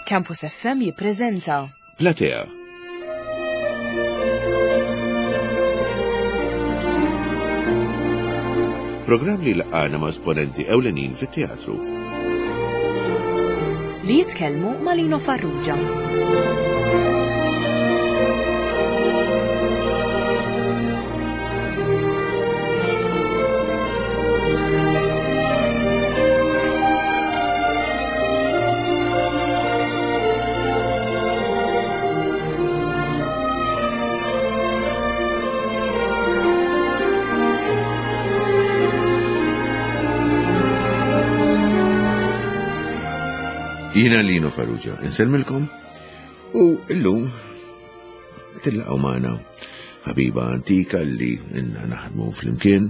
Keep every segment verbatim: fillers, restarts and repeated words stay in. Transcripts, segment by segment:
Campus F M jippreżenta Platea. Programm li laqgħana ma' esponenti ewlenin fit-teatru. Li jitkellmu ma' Lino Farrugia. Jiena Lino Farrugia, insellmilkom u illum tillaqgħu magħna ħabiba antika li inna naħdmu flimkien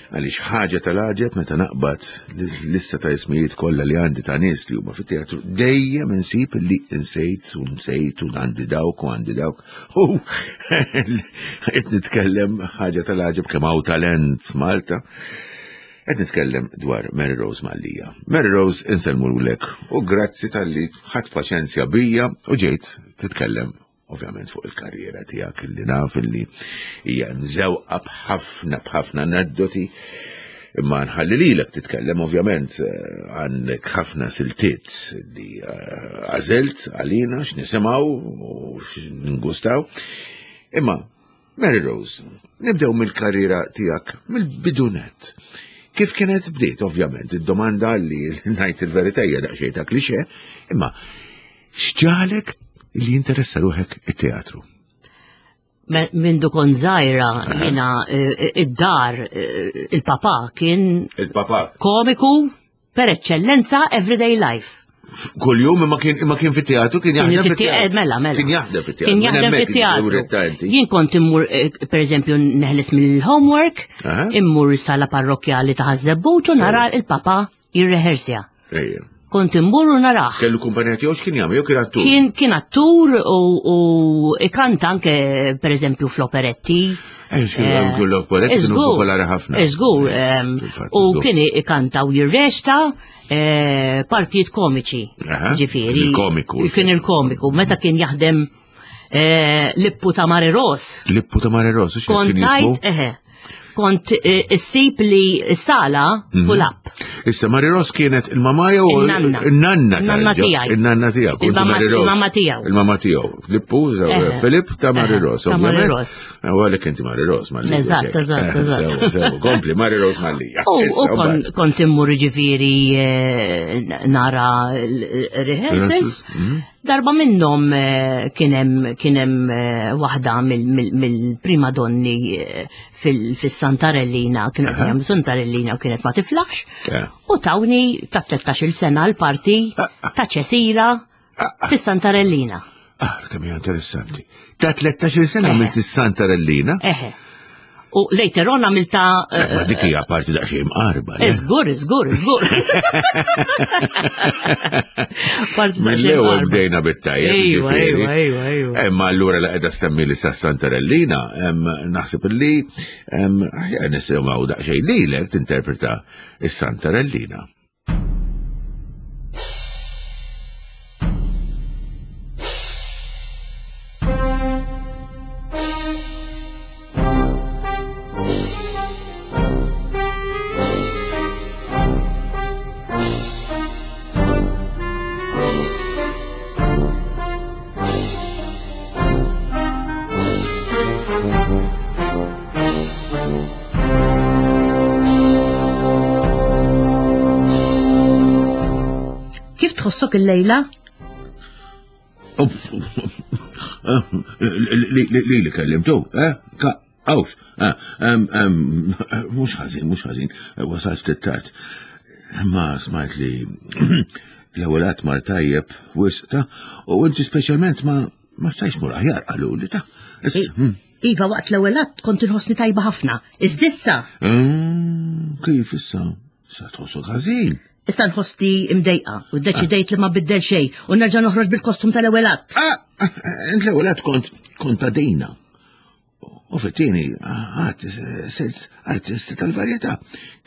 għaliex ħaġa tal-għaġeb meta naqbad l-lista ta' ismijiet kollha li għandi ta' nies li huma fit-teatru dejjem insib li insejt u nsejt u għandi dawk u għandi dawk u qed nitkellem ħaġa tal-għaġeb kemm hawn talent Malta. Qed nitkellem dwar Mary Rose Mallia. Mary Rose, insellmulek u grazzi tal-li ħadt paċenzja bija u ġejt titkellem ovvjament fuq il-karriera tiegħek li naf li hija mżewqa b'ħafna b'ħafna aneddoti, imma nħalli lilek titkellem ovvjament għandek ħafna siltiet li għażilt għalina x'nisimgħu u x'ningustaw. Imma Mary Rose, nibdew mill-karriera tiegħek mill-bidunet. Kif kienet bdiet, ovvjament, id-domanda li ngħid il-verità hija daqsxejn ta' klixe, imma x'ġalek li jinteressa ruħek it-teatru? Mindu kont żgħira, jiena id-dar, il-papà kien Il-papà. komiku per eccellenza everyday life. Kuljum imma kien, imma kien fit-teatru, kien jaħdem Kien fit-teatru. fit-teatru, mela, mela. Kien jaħdem fit-teatru. Kien Minn jaħdem hemmhekk fit-teatru. id-dawret ta' inti. Jien kont immur, eh, per eżempju, neħles mill-homework, Aha. immur sala parrokjali ta' Ħaż-Żebbuġ u nara il-papà jirrehersja. Ejja. Kont immur u narah. Kellu kumpanija tiegħu x'kien jagħmel, jew kien attur? Kien, kien attur u, u ikanta anke, per eżempju, fl-operetti. Eh, x'kien jagħmel kull operetti, kienu Żgur, popolari ħafna. Żgur, ehm, Fil-fatt, u żgur. kien ikanta u jirrexta, eh, partijiet komiċi. Aha, Ġifieri, kien il-komiku. Kien il-komiku, meta kien jaħdem, eh, Lippu ta' Mary Rose. Lippu ta' Mary Rose, x'kien Kont kien jismu? tajt, eħe, kont, eh, issib li s-sala Mhm. full up. Issa Mary Rose kienet il-mama jew Il-nanna. Il-nanna Il-nanna tal-ġo- tiegħi. Il-nanna tiegħek, Il-mamma Mary Rose. Il-mamma tiegħu. Il-mamma tiegħu. Lippu, żew, Eħe. Filip ta' Mary Eħe, Rose, ta' Mary ovvjament. Rose. Eh, u għalhekk inti Mary Rose, Mallia. Eżatt, eżatt, Eh, eżatt. Sew, sew, kompli, Mary Rose Mallia. U, Issa, u kon- mbagħad. kont immur ġifieri, eh, nara l-rehearsals. Mhm. Darba minnhom, eh, kien hemm, kien hemm, eh, waħda mill-, mill-, mill-prima donni, eh, fil-, fis-Santarellina, kienu qed jagħmlu Santarellina u kienet ma tiflaħx. Eh. U tawni ta' tlettax-il sena l-parti Ah, ah. ta' Ċesira Ah, ah. fis-Santarellina. Ah, kemm hija interessanti. Ta' tlettax-il sena Eħe. għamilt is-Santarellina? Eħe. U later on għamilta, Eh, ma dik hija parti daqsxejn mqarba, le? Żgur, żgur, żgur. Parti daqsxejn Mill-ewwel mqarba. bdejna bit-tajjeb, Ejwa, ġifieri. ejwa, ejwa, ejwa. Imma allura la qiegħda semmi li sa Santarellina, em, naħseb li, em, aħjar nisimgħu daqsxejn lilek tinterpreta is-Santarellina. Kif tħossok il-lejla? Li li kellimtu, eh? Awx, mhux ħażin, mhux ħażin, wasalt ftit tard. Ma smajt li l-ewwel qatt mar tajjeb wisq ta' u inti speċjalment ma, ma stajx mur aħjar qalu li ta'. Issa, I- hmm. Iva, waqt l-ewwel att kont inħossni tajba ħafna. Iżdissa? Mm, kif issa? Sa tħossok ħażin. Issa nħossni imdejqa u ddeċidejt li ma biddel xejn u nerġa' noħroġ bil-kostum tal-ewwel att. Ah, ah, int l-ewwel att kont kontadina. U fit-tieni, għad sirt artista tal-varjetà.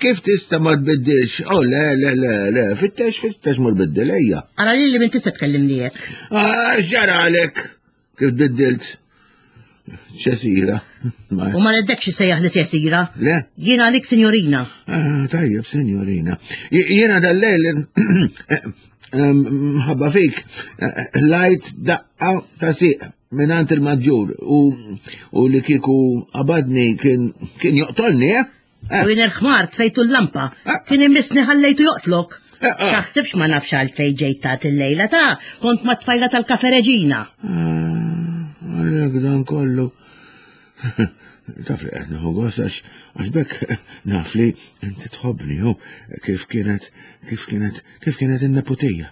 Kif tista' ma tbiddilx? Oh, le, le, le, le, fittex, fittex ma tbiddil, ejja. Ara li li minn tista' tkellimni hekk. Ah, x'ġara għalek? Kif tbiddilt? Ċesira. U ma reddekx sejjaħ li Ċesira. Le? Jiena għalik sinjorina. Ah, tajjeb, sinjorina. Jiena dal-lejl mħabba fik, lajt daqqa ta' siq minant il-maġġur u, u li kieku qabadni kien, kien joqtolni, eh? U jien il-ħmar tfejtu l-lampa. Ah. Kien imissni ħallejtu joqtlok. Ah, ah. Taħsibx ma nafx għalfej ġejt tagħti il-lejla ta' kont ma' tfajla tal-Kafe Reġina. Ah, Għalek dan kollu. Taf li qed nieħu gost għax għax bekk naf li inti tħobbni hu kif kienet kif kienet kif kienet in-neputija.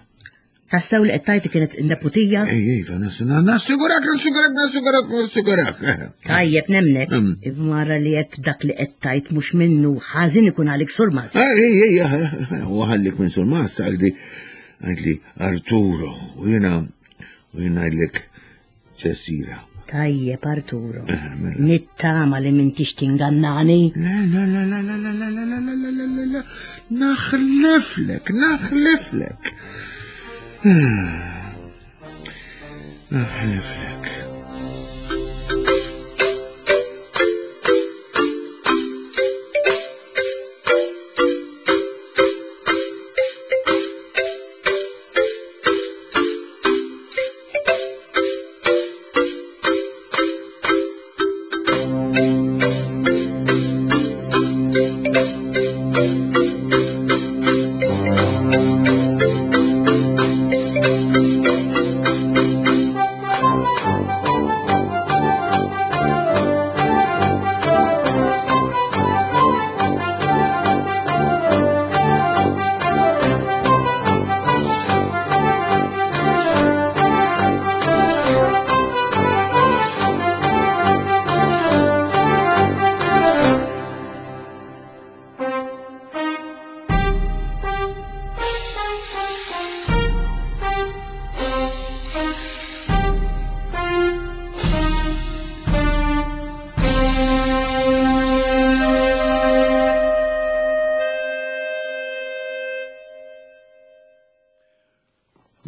Tassew li qed tgħid kienet in-neputija? Ej, iva, nassigurak, nassigurak, nassigurak, nassigurak. Eh. Tajjeb nemnek. Mm. Imma li jekk dak li qed tgħid mhux minnu ħażin ikun għalik surmas. Ej, ej, ej, u ħallik minn surmas, għaldi, għaldi Arturo, u jena, u jena għidlek Ċesira. Tajjeb Arturo. Eh, mela. Nittama li m'intix tingannani. Le, le, le, le, le, le, le, le, le, le, le, le, le, le, naħliflek, naħliflek. Naħliflek.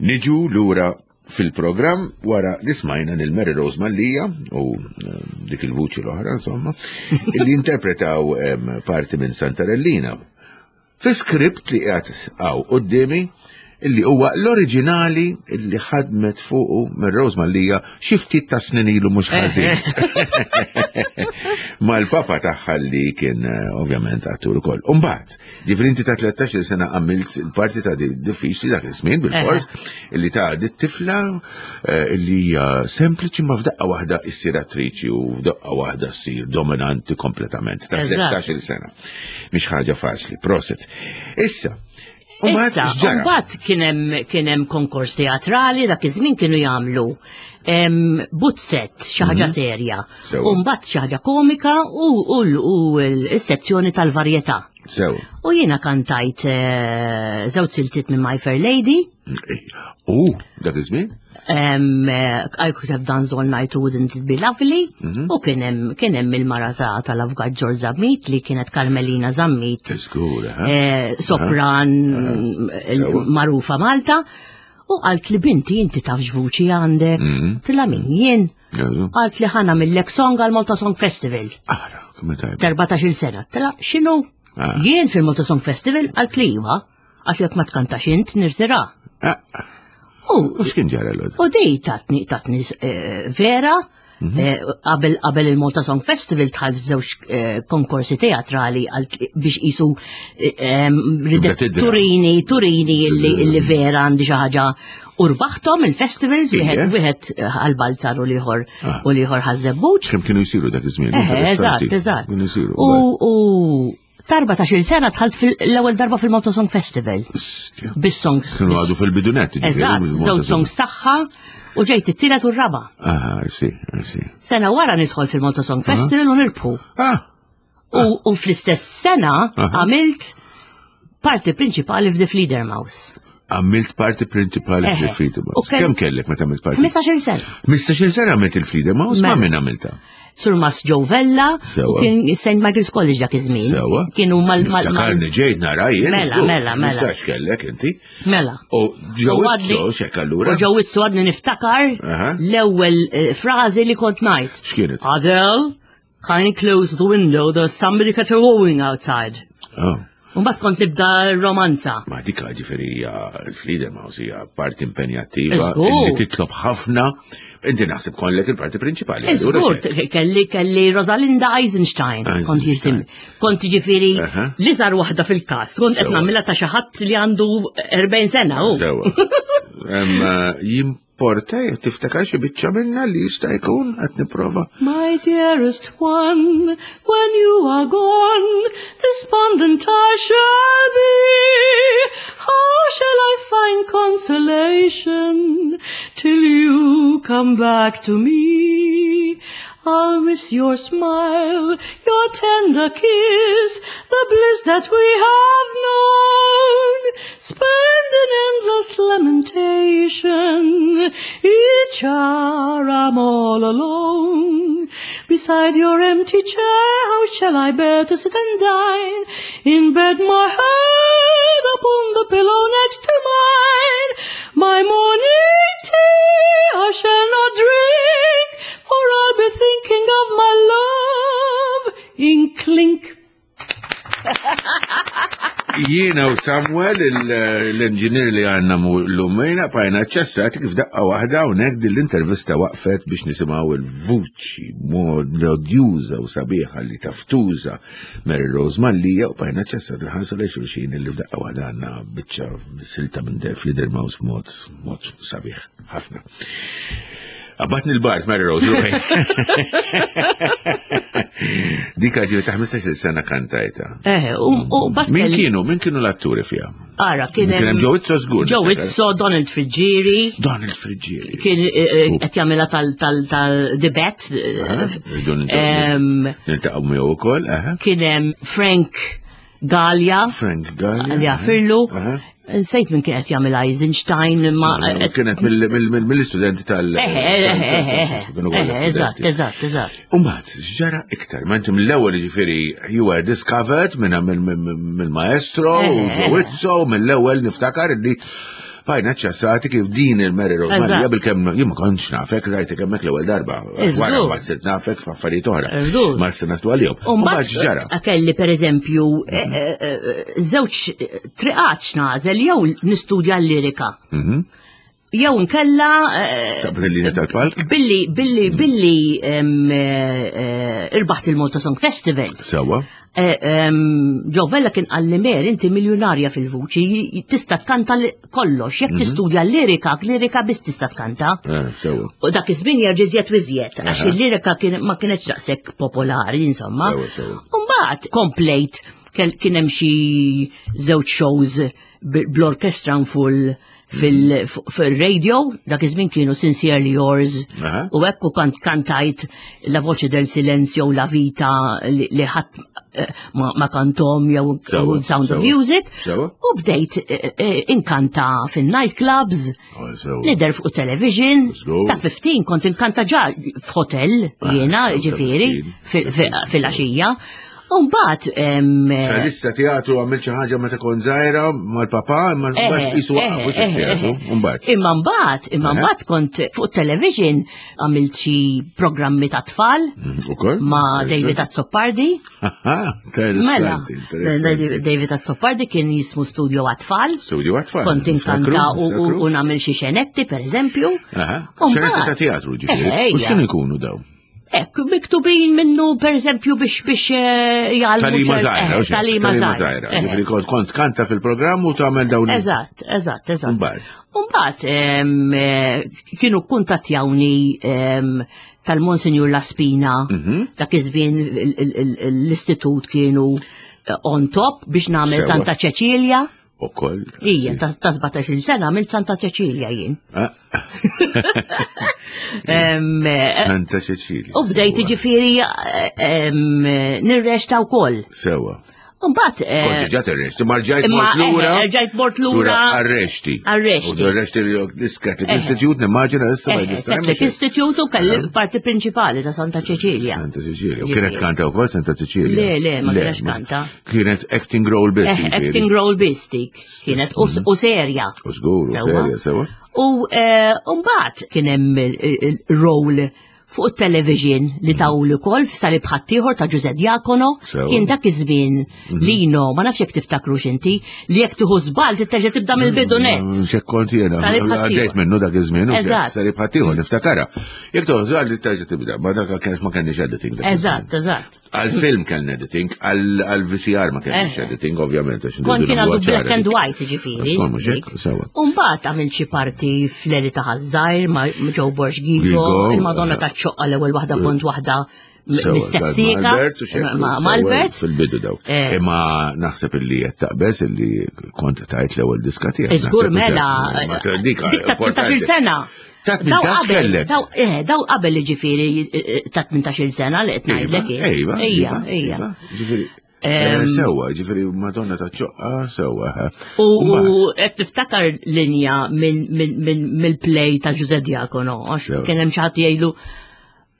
Niġu lura fil-programm wara li smajna lil Mary Rose Mallia u eh, dik il-vuċi l-oħra, insomma, li interpretaw em, parti minn Santarellina. Fi skript li qiegħed hawn quddiemi illi huwa l-oriġinali illi ħadmet fuqu Mary Rose Mallia xi ftit ta' snin ilu mhux ħażin. Mal-papa tagħha li kien eh, ovvjament attur ukoll. Umbagħad, ġifieri inti ta' tlettax-il sena għamilt il-parti ta' di diffiċli dak iż-żmien bil-fors illi ta' di tifla eh, illi hija sempliċi ma f'daqqa waħda issir attriċi u f'daqqa waħda ssir dominanti kompletament ta' Eżatt. tlettax-il sena. Mhix ħaġa faċli, proset. Issa, umbagħad Issa, x'ġara? mbagħad kien hemm kien hemm konkors teatrali dak iż-żmien kienu jagħmlu em, buzzett xi ħaġa serja. Mhm. Sewa. U mbagħad xi ħaġa komika u u l- u l-sezzjoni tal-varjetà. Sew. U jiena kantajt eh, żewġ siltiet minn My Fair Lady. U, dak iż-żmien? Em, eh, I could have danced all night, wouldn't it be lovely? Mhm. U kien hemm kien hemm il-mara ta' tal-Avukat George Zammit li kienet Carmelina Zammit. Żgur, ha? eh, sopran eh, Sewa. marufa Malta. U qalt li binti inti taf x'vuċi għandek. Mhm. Tilla min jien. Jazu. Qalt li ħana mill-lek song għal Malta Song Festival. Ara, kemm tajba. Erbatax-il sena. Tilla x'inhu? Ah. Jien fil-Malta Song Festival qalt li iva. Qalt li jekk ma tkantax int nirtira. Ah, U U x'kien ġara l U dej tatni, tatni eh, vera, Mhm. eh, qabel qabel il-Malta Song Festival dħalt f'żewġ eh, konkorsi teatrali għal- biex qisu eh, em, ridet tidra. turini, turini illi, illi vera għandi xi ħaġa u rbaħthom il-festivals, Ije. wieħed wieħed għal-Balzar u l-ieħor Ah. u l-ieħor ħaż-Żebbuġ. Kemm kienu jsiru dak iż-żmien? Eh, eżatt, eżatt. Kienu jsiru. U u ta' sena dħalt fil-ewwel darba fil-Malta Song Festival. Stja. Bis-songs. Kienu għadu fil-bidunet. ġifieri, Eżatt, bil-Malta żewġ Song. songs tagħha u ġejt it-tielet u r-raba'. Ah, I see, I see. Sena wara nidħol fil-Malta Song Festival u nirbħu. Ah, U, u fl-istess sena Aha. għamilt parti prinċipali f'The Fledermaus. Għamilt parti prinċipali Eħe. fil-Fledermaus. U kell- Kemm kellek meta għamilt parti? ħmistax-il sena. Ħmistax-il sena għamilt il-Fledermaus, ma Mela. min għamilta? Surmas Joe Vella Sewa. u kien Saint Michael's College dak iż-żmien. Sewa. Kienu mal mal mal Niftakarni ġejt nara jien. Mela, żgur. mela, mela. Nistax kellek inti. Mela. U Joe U għadni- Izzo, xek allura. U Joe Izzo għadni niftakar Aha. l-ewwel eh, frażi li kont ngħid. X'kienet? Adele, can you close the window? There's somebody caterwauling outside. Oh. Mbagħad kont nibda romanza. Ma dik ġifieri hija l-Fledermaus hija parti impenjattiva Żgur. li titlob ħafna. Inti naħseb kollek il-parti prinċipali. allura Iżgur, xek. kelli kelli Rosalinda Eisenstein, kont Eisenstein. jisim. Kont ġifieri Aha. l-iżgħar waħda fil-kast, kont qed Sewa. nagħmilha ta' xi ħadd li għandu erbgħin sena hu. Sewa. Em, Jimporta jekk tiftakar xi biċċa minna li jista' jkun qed nipprova. My dearest one, when you are gone, despondent I shall be. How shall I find consolation till you come back to me? I'll miss your smile, your tender kiss, the bliss that we have known. Spend in endless lamentation, each hour I'm all alone. Beside your empty chair, how shall I bear to sit and dine? In bed, my head upon the pillow next to mine. My morning tea I shall not drink, for I'll be thinking of my love in clink. Jiena u Samuel, l-engineer li għandna l-lumejna, bqajna ċassati kif daqqa waħda unek din l-intervista waqfet biex nisimgħu il-vuċi melodjuża u sabiħa li taf tuża Mary Rose Mallia u bqajna ċassati nħarsu lejn xulxin li f'daqqa waħda għandna biċċa silta minn der Fledermaus mod mod sabiħ ħafna. Abatni l-bart, Mary Rose, ruħi. Dika ġivi ta' ħmistax-il sena kantajta. Eh, u u bat Min kelli- kienu, min kienu l-atturi fija? Ara, kien Kien hemm Joe Izzo żgur. Joe niftakar. Izzo, Donald Friggieri, Donald Friggieri. kien eh, eh, qed jagħmilha tal tal tal dibet. Aha, rridu niltaqgħu- Niltaqgħu miegħu wkoll, aha. Kien hemm Frank Gallia, Frank Gallia. Gallia Firlu. Aha. Nsejt minn kien qed jagħmel Eisenstein ma Kienet mill- mill- mill- mill-istudenti tal- Eh, eh, eh, eh, kienu kollha eh, eżatt, studenti. eżatt, eżatt. Umbagħad, ġara iktar, ma inti mill-ewwel ġifieri you were discovered minn mill-maestro Eh, u eh, Joe Izzo, mill-ewwel niftakar li bqajna ċassati kif din il-Mary Rose Eżatt. Mallia bil-kemm jien ma kontx nafek, rajtek hemmhekk l-ewwel darba. Iżgur. Wara mbagħad sirt nafek f'affarijiet oħra. Iżgur. Ma se naslu għalihom. Umbagħad x'ġara? Kelli per eżempju, eh, eh, eh, żewġ triqat nagħżel jew nistudja l-lirika. Mhm. Jew nkella eh, Taqbad il-linja tal-palk? billi billi billi em, eh, eh, irbaħt il-Malta Song Festival. Sewa. Eh, em, Joe Vella kien qalli Mer, inti miljonarja fil-vuċi, tista' tkanta li- kollox, jekk tistudja l-lirika, l-lirika biss tista' tkanta. Eh, Sewa. U dak iż-żmien jerġa' iżjed u iżjed, għax Aha. il-lirika kien- ma kienx daqshekk popolari, insomma. Sewa, sewa. U mbagħad komplejt kell- kien hemm xi żewġ shows b- bl-orkestra full fil- fil-radio, dak iż-żmien kienu Sincerely Yours, Aha. u hekk u kant kantajt La Voce del Silenzio u La Vita li li ħadd eh, ma, ma kantom jew Sewa, jew Sound of sewa. Music. Sewa. U bdejt eh, eh, inkanta fin-nightclubs, Oh, Sewa. Nidher fuq television, Żgur. ta' ħmistax kont inkanta ġa f'hotel jiena Ah, ġifieri ta' fil-għaxija. U mbagħad em, Salista teatru għamil xi ħaġa meta kont żgħira mal-papà, imma eh, mbagħad qisu eh, waqfu eh, teatru, eh. mbagħad. Imma mbagħad, imma Eh. mbagħad kont fuq television għamilt xi programmi ta' tfal Ukoll? ma' David Azzopardi. Aha, Mela, interessanti, interessanti. David Azzopardi kien jismu Studio għat-tfal. Studio għat-tfal. Kont inkanta u- u u nagħmel xi xenetti, per eżempju. Aha, U xenetti mbagħad- ta' teatru ġifieri. Eh, U ejja. x'inhu jkunu daw? Ekk, miktubin minnu per eżempju biex biex eh, jgħallmu Talima ċer- żgħira, eh, u xejn, Talima Talima żgħira. żgħira. Eh, Ġifieri kont kont kanta fil-programm u tagħmel dawn. il- Eżatt, eżatt, eżatt. Mbagħad. Umbagħad em, eh, kienu kuntattjawni em, tal-Monsinjur Laspina, Mhm. dak iż-żmien il- il- il- l-istitut kienu eh, on top biex nagħmel Sewa. Santa Ċeċilja. Ukoll. Ija, ta' ta' sbatax-il sena għamilt Santa Ċeċilja jien. Ah, Em, eh, Santa Cecilia. U bdejt Sewa. ġifieri eh, em, nirreċta wkoll. Sewa. Mbagħad eh, Kont diġà terrexti, ma rġajt imma mort lura. eh, rġajt mort lura Arrexti. Arrexti. U arrexti l-Catholic Eh. Institute, nimmaġina issa ma Eh, jista' Catholic Institute u kelli parti prinċipali ta' Santa Cecilia. Santa Cecilia. U kienet kanta wkoll Santa Cecilia. Le, le, ma kienx ma- kanta. Kienet acting role biss. Eh, jiġifieri. acting role biss dik kienet u u serja. U żgur, u Sewwa. serja, sewa. U eh, mbagħad kien hemm il-role fuq it-television li tawli wkoll f'Salib Ħaddieħor ta' Ġuże Diacono. Sewa. Kien dak iż-żmien Lino, ma nafx jekk tiftakru x'inti, li jekk tieħu żball titterġa' tibda mill-bidu net. Xek kont jiena, Salib Ħaddieħor. għaddejt minnu dak iż-żmien, u Eżatt. Salib Ħaddieħor, niftakara. Jekk toħżal li terġa' tibda, ma dak kienx ma kenniex editing. dak iż-żmien. Eżatt, eżatt. Għal-film kellna editing, għal-V C R ma kenniex Eh. editing, ovvjament. għax Kont nridu jien nagħmluha għadu black ċara and dik. white ġifieri. Skont mhux hekk, sewa. Umbagħad għamilt xi parti f'Leli ta' Ħaż-Żgħir ma' Joe Borg Gigo, Gigo, il-Madonna eh. ta' ċoqqa l-ewwel waħda kont waħda Sewa, mis-seksika. ma' Albert u xekk, Ma' sewa, ma' Albert. Fil-bidu dawk. Eh. Imma naħseb illi qed taqbeż illi kont tajt l-ewwel diska tiegħek. Iżgur Naħseb mela, ma dik dik ta' tmintax-il sena. Ta' Daw tmintax qabel, kellek. daw eh, daw qabel ġifieri eh, ta' tmintax-il sena li qed ngħidlek jien. Ejva, Ejja, iva, ejja. iva, Ġifieri, eh, Sewa, ġifieri Madonna ta' ċoqqa, sewa. U Mbagħad, u qed tiftakar linja minn- minn- minn- mill-play ta' Ġuże Diacono, għax Sewa. kien hemm xi ħadd jgħidlu,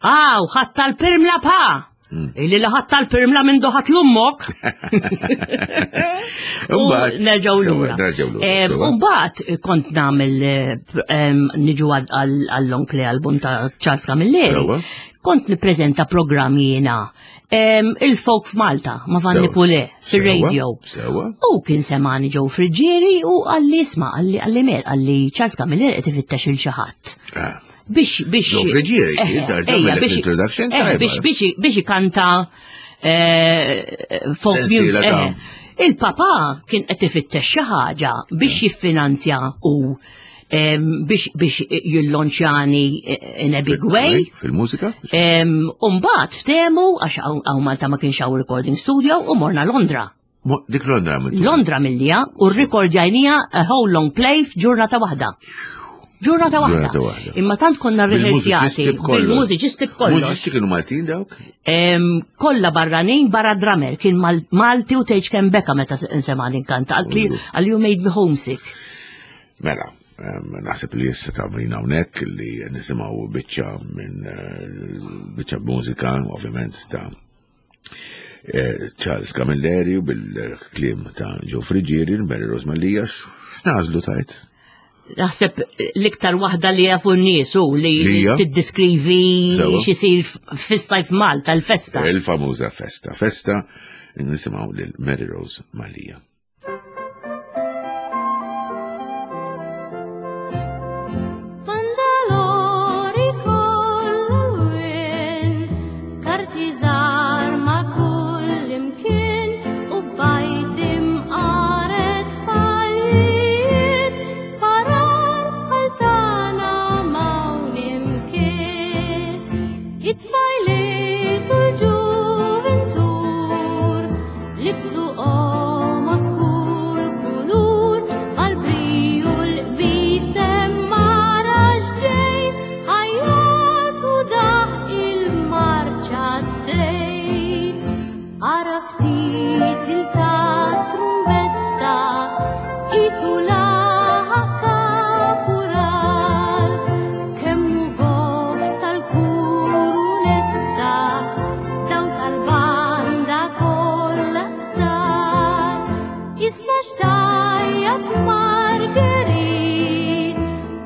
"Aw, ħadd tal-pirmla pa!" Mm. Illi li ħadd tal-pirmla minn doħat l-ummok. U Mbagħad- nerġgħu sewa, lura. Nerġgħu lura. Em, sewa. U mbagħad kont nagħmel eh, em, niġu għal-long play album ta' Charles Camilleri. Sewa. Kont nippreżenta programm jiena em, il-folk f'Malta ma' Vanni Sewa. Pule fir-radio. Sewa. U kien semani Joe Friggieri u għalli isma' għalli għalli mer għalli Charles Camilleri qed ifittex il xi ħadd. Ah. Biex biex Joe Friggieri, Eh, inta ejja, għamillek biex- introduction eh, tajba. biex biex biex ikanta eh, folk Sensiela music. ta' eh. Il-papa kien qed ifittex xi ħaġa biex jiffinanzja u em, biex biex jillonċjani in a big way. Fil-mużika? Umbagħad ftehmu għax hawn Malta ma kienx hawn recording studio u morna Londra. Mo- Dik Londra għamiltu. Londra millija u rrekordjajnija a whole long play f'ġurnata waħda. Ġurnata waħda. Ġurnata waħda. Imma tant konna rehearsjati Bil-mużiċisti b'kollox. bil-mużiċisti b'kollox. Mużiċisti kienu Maltin dawk? Em, Kollha barranin barra drummer kien Mal- Malti u tgħidx kemm beka meta nsemani nkanta. Għalt li għal you made me homesick. Mela, em, naħseb li issa ta' vina hawnhekk li nisimgħu biċċa minn eh, biċċa mużika, ovvjament ta' eh, Charles Camilleri u bil-kliem ta' Joe Friggieri, Mary Rose Mallia, x'nażlu tajt? Naħseb l-iktar waħda li jafu n-nies u li Li hija? tiddiskrivi Sewa. x'isir fis-sajf Malta l-festa. Il-famuża festa. Festa nisimgħu lil Mary Rose Mallia. Bandalori kollha karti żgħar ma' kull imkien u bajt imqaret palijiet sparar bħal tagħna m'hawn imkien. It-tfajliet u l-ġuventur libsu qomos kull kulur mal-briju l-qbisem marax ġej ħajjat u daħ il-marċa d-dej. Ara ftit il-ta' trumbetta isu laħa kapural kemm hu goff tal-kurunetta daw tal-banda kollha sar. Isma' xtajjat Marguerite,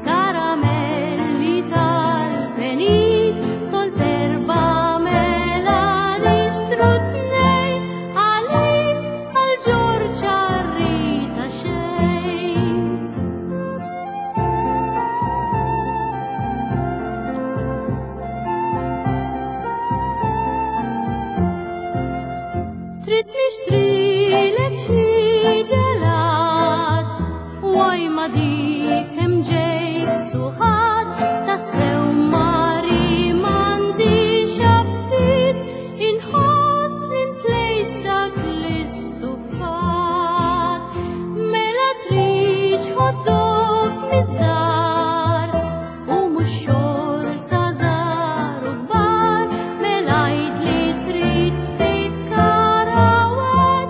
karamelli tal-penit, sol terba mela nixtru tnejn għalik għal Ġorġa rrita xejn. Trid nixtrilek xi ġelat, waj ma dik hemm ġejk suħat, tassew mari m'għandix aptit, inħoss li ntlejt dak l-istufat. Mela tridx hot dog miż-żgħar, u mhux xorta żgħar u kbar, mela għid li trid ftit karawat,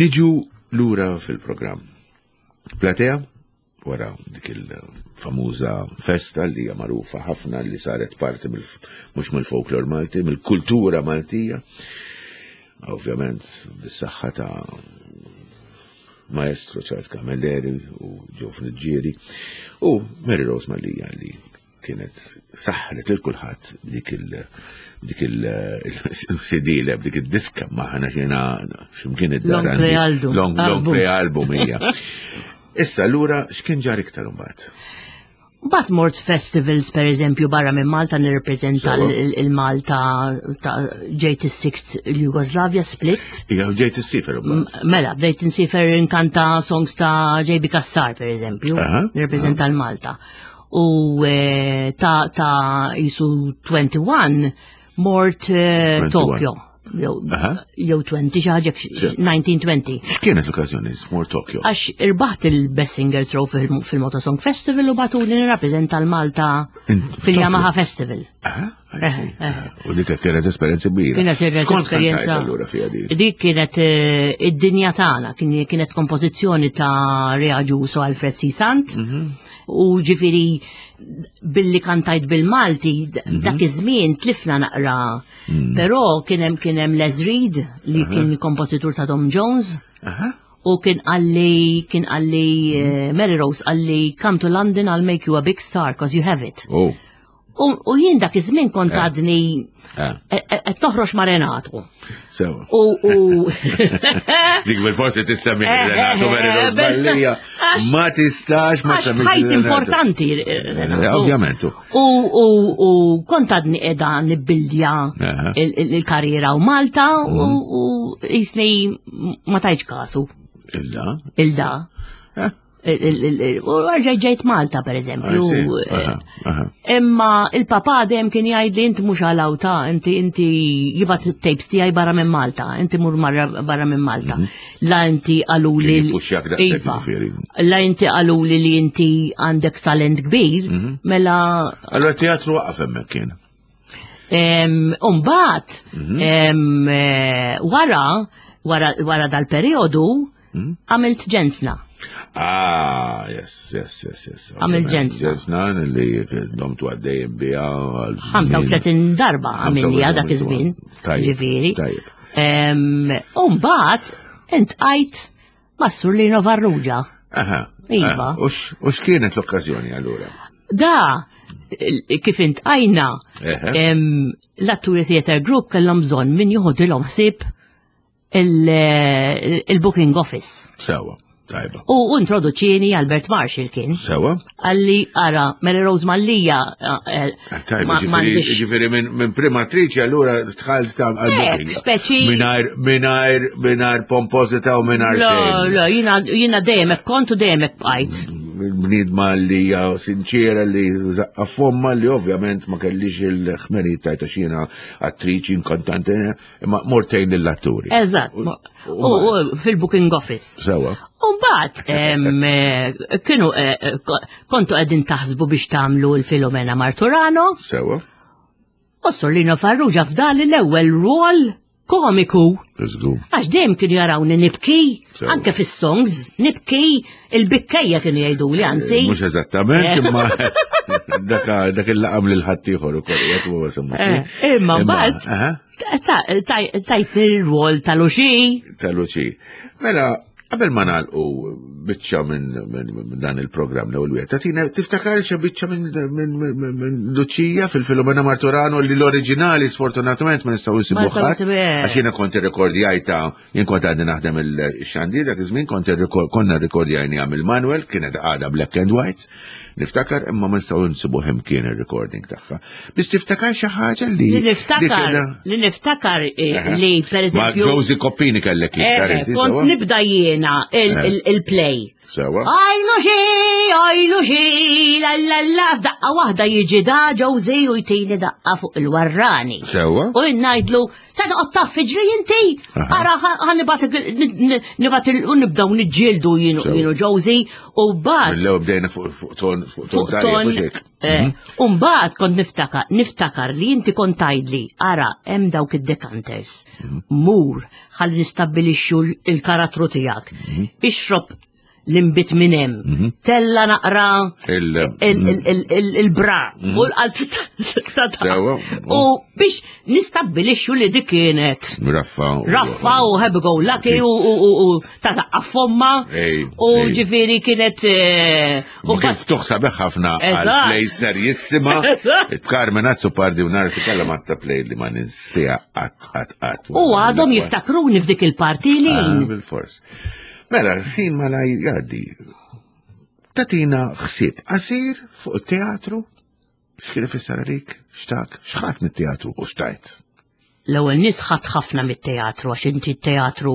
Niġu lura fil-programm. Platea, wara dik il-famuża festa li hija magħrufa ħafna li saret parti mhux mill-folklor Malti, mill-kultura Maltija. Ovvjament bis-saħħa ta' maestro Charles Camilleri u Joe Friggieri u Mary Rose Mallia li kienet saħħret lil kulħadd dik il dik il-C D dik id-diska maħna xina x'imkien id-dar. Long play album. Long, long play album hija. Issa lura x'kien ġar iktar imbagħad? But mort festivals, per eżempju, barra minn Malta nirrepreżenta il-Malta ta' ġejt is-Sixth il-Jugoslavia split. Ija, ġejt issiefer imbagħad. Mela, bdejt insiefer inkanta songs ta' J B. Cassar, per eżempju, nirrepreżenta l-Malta. U eh, ta' ta' jisu wieħed u għoxrin mort eh, wieħed u għoxrin. Tokyo. Jew jew għoxrin xi ħaġa elf disa' mija u għoxrin. X'kienet l-okkażjoni mort Tokyo? Għax irbaħt il-Best Singer Trophy fil-Motosong Festival u bagħtuni nirrappreżenta l-Malta In fil-Yamaha Festival. Aha, I see. U dik kienet esperjenza kbira. Kienet X'kont esperjenza. kantajt allura fiha din? Dik kienet eh, id-dinja tagħna, kien- kienet kompożizzjoni ta' Rea Agius u Alfred C. Sant. Mhm. U ġifieri billi kantajt bil-Malti, d- Mhm. dak iż-żmien tlifna naqra. Mm. Però kien hemm kien hemm Les Reed li kien kompożitur ta' Tom Jones. Aha. U kien qalli, kien qalli, eh, Mary Rose qalli, "Come to London, I'll make you a big star, cause you have it." Oh. U u jien dak iż-żmien kont għadni Ah, qed toħroġ ma' Renato. Sewa. U u Dik bil-forsi tissemmi Eh, Renato eh, Mary Rose eh, Mallia. għax- Ma tistax ma Għax semmix ħajt Renato. importanti Renato. Eh, Ovvjament. U u u kont għadni qiegħda nibbildja Aha. il- il- il-karriera u Malta u u jisni ma tajċ kasu Illa. il-da. Eh. Il- il- il- U rġajt ġejt Malta per eżempju. I see. eh, Aha, aha. Imma il-papa dejjem kien jgħid li inti mhux għalawta, inti inti jibgħat tapes tiegħi barra minn Malta, inti mur marra barra minn Malta. La inti qaluli Kien jippuxxjak daqshekk Iva. ġifieri. La inti qaluli li inti għandek talent kbir, mela Allora teatru waqaf hemmhekk kien. Em, Umbagħad, em, eh, wara, wara, wara dal-periodu, għamilt Ġensna. Ah, yes, yes, yes, yes. Għamil ġensna. Ġensna li domtu għaddejjem biha għal żmien. ħamsa u tletin darba għamilniha dak iż-żmien. Tajjeb, Ġifieri. Tajjeb. Em, Umbagħad, iltqajt mas-Sur Lino Farrugia. Aha. Iva. Ah, U x- u x'kienet l-okkażjoni allura? Da, il- kif iltqajna, Eħe. em, l-Atturi Theatre Group kellhom bżonn min joħodilhom ħsieb il- il-booking office. Sewa, tajba. U introduċini Albert Marshall kien. Sewa? Qalli, ara, Mary Rose Mallia, eh, Tajba, ma- ġifieri m'għandix- ġifieri minn min primatriċi allura tħalt ta' għal-booking. speċi- Mingħajr, mingħajr, mingħajr pomposita u mingħajr La, xejn. la, jiena jiena dejjem hekk kont u dejjem hekk bqajt. Bniedma li hija sinċera li zaqqa fomma li ovvjament ma kellix il-ħmerijiet tajta xina attriċi, inkantante, imma mortejn lill-atturi. Eżatt. U- U u fil-booking office. Sewa. Umbagħad, kienu eh, eh, ko- kontu qegħdin taħsbu biex tagħmlu l-Filomena Marturano, Sewa. u Sur Lino Farrugia fdali l-ewwel rol komiku. Żgur. Għax dejjem kienu jarawni nibki, Sewa. anke fis-songs, nibki, il-bikkejja kienu jgħidu li anzi. Mhux eżattament, Eh. imma dak dak il-laqam lil ħaddieħor ukoll qed huwa semmu. Eh, Imma mbagħad Aha, ta- ta- tajtni r-rwol ta' Luċi. ta' Luċi. Mela, qabel ma nagħlqu biċċa minn min, min dan il-programm l-ewwel wieħed, tagħtina tiftakar xi biċċa minn min, min, min Luċija fil-Filomena Marturano li l-oriġinali sfortunatament ma nistgħu nsibu Ma nistgħu ħadd. nsibu, eh. Għax jiena kont irrekordjajta, jien kont għadni naħdem il-xandir dak iż-żmien kont irrekor- konna rrekordjajni għam il-Manuel, kienet għada black and white, niftakar imma ma nistgħu nsibu kien ir-recording tagħha. Biss tiftakar xi ħaġa li Li niftakar, li li niftakar eh, Aha. li per Ma eżempju. Josie Coppini kellek Eh, iktar inti kont sewa? nibda jiena il- Eh. il- il-play. Sewa. Għajlu xi, għajlu xi, la la la, f'daqqa waħda jiġi da Josie u jtini daqqa fuq il-warrani. Sewa. U ngħidlu, se toqgħod taffiġli inti, ara ħa nibgħat u nibdew niġġieldu jienu Josie u mbagħad. Mill-ewwel bdejna fuq ton fuq ton tajjeb. U mbagħad kont niftakar niftakar li inti kont tgħidli, ara hemm dawk id-decanters. Mur ħalli nistabbilixxu l-karattru tiegħek. Ixrob l-imbit minn hemm. Tella naqra il-bra u l-qalb. U biex nistabbilixxu li dik kienet. Raffa. Raffa u happy go lucky u ta' taqqaf fomma. U ġifieri kienet. U kif ftuħ sabiħ ħafna għal-play serjissima. Carmen Azzopardi u Narsi Calamatta play li ma ninsieha qatt qatt qatt. U għadhom jiftakruni f'dik il-parti li. Bil-fors. Mela, ħin ma la jgħaddi. Tatina ħsieb qasir fuq it-teatru, x'kien ifisser għalik, x'tak, x'ħadd mit-teatru u xtajt? L-ewwel nies ħadd ħafna mit-teatru għax inti t-teatru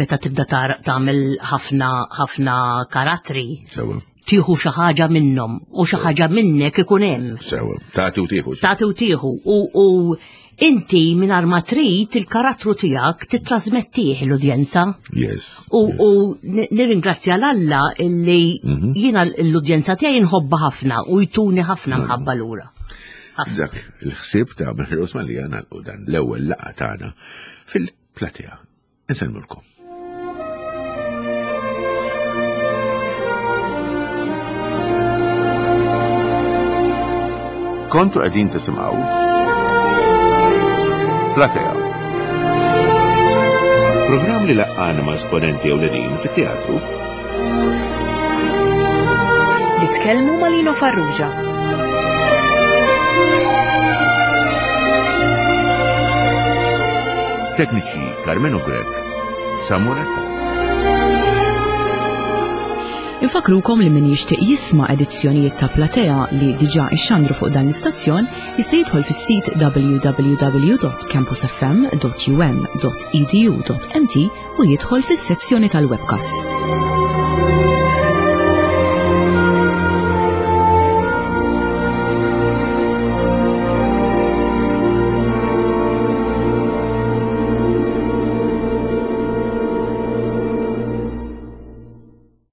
meta tibda tagħmel ħafna ħafna karattri. Sewa. Tieħu xi ħaġa minnhom u xi ħaġa minnek ikun hemm. Sewa, tagħti u tieħu. Tagħti u tieħu u inti mingħajr ma trid il-karattru tiegħek titrasmettih l-udjenza. Yes. U nirringrazzja l-Alla illi jiena l-udjenza tiegħi nħobbha ħafna u jtuni ħafna mħabba lura. Dak il-ħsieb ta' Mary Rose Mallia nagħlqu dan l-ewwel laqgħa tagħna fil-platea. Insellmulkom. Kontu qegħdin tisimgħu Platea. Programm li laqqana ma' esponenti ewlenin fit-teatru. Li tkellmu ma' Lino Farrugia. Tekniċi Carmenu Grech, Samuel Attard. Infakrukom li min jixtieq jisma' edizzjonijiet ta' Platea li diġà ixxandru fuq dan l-istazzjon jista' jidħol fis-sit w w w dot campus f m dot u m dot e d u dot m t u jidħol fis-sezzjoni tal-webcasts.